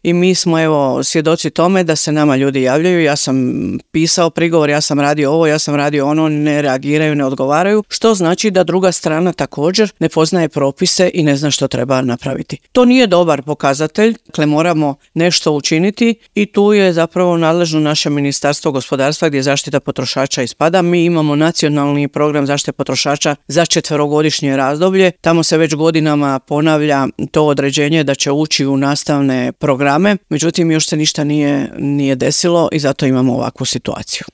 i mi smo evo svjedoci tome da se nama ljudi javljaju, ja sam pisao prigovor, ja sam radio ovo, ja sam radio ono, ne reagiraju, ne odgovaraju, što znači da druga strana također ne poznaje propise i ne zna što treba napraviti. To nije dobar pokazatelj, dakle moramo nešto učiniti i tu je zapravo nadležno naše Ministarstvo gospodarstva gdje zaštita potrošača ispada. Mi imamo nacionalni program zaštite potrošača za 4-godišnje razdoblje, tamo se već godinama ponavlja to određenje da će ući u nastavne programe, međutim još se ništa nije desilo i zato imamo ovakvu situaciju.